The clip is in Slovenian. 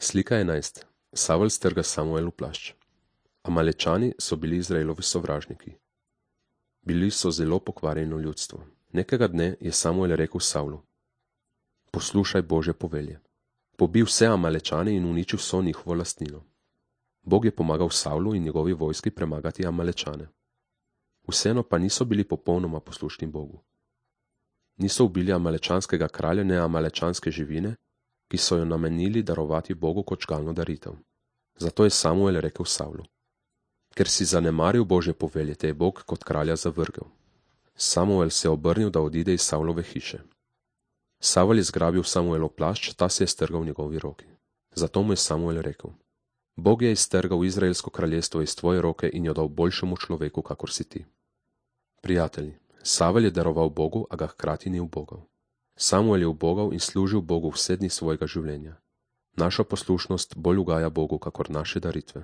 Slika 11. Savel strga Samuelu plašč. Amalečani so bili Izraelovi sovražniki. Bili so zelo pokvarjeno ljudstvo. Nekega dne je Samuel rekel Savlu: poslušaj Božje povelje. Pobij vse Amalečane in uniči vso njihovo lastnino. Bog je pomagal Savlu in njegovi vojski premagati Amalečane. Vseeno pa niso bili popolnoma poslušni Bogu. Niso ubili amalečanskega kralja ne amalečanske živine, ki so jo namenili darovati Bogu kot žgalno daritev. Zato je Samuel rekel Savlu: ker si zanemaril Božje povelje, te je Bog kot kralja zavrgel. Samuel se je obrnil, da odide iz Savlove hiše. Savel je zgrabil Samuelov plašč, ta se je strgal v njegovi roki. Zato mu je Samuel rekel: Bog je iztrgal Izraelsko kraljestvo iz tvoje roke in jo dal boljšemu človeku, kakor si ti. Prijatelji, Savel je daroval Bogu, a ga hkrati ni ubogal. Samuel je ubogal in služil Bogu vse dni svojega življenja. Naša poslušnost bolj ugaja Bogu, kakor naše daritve.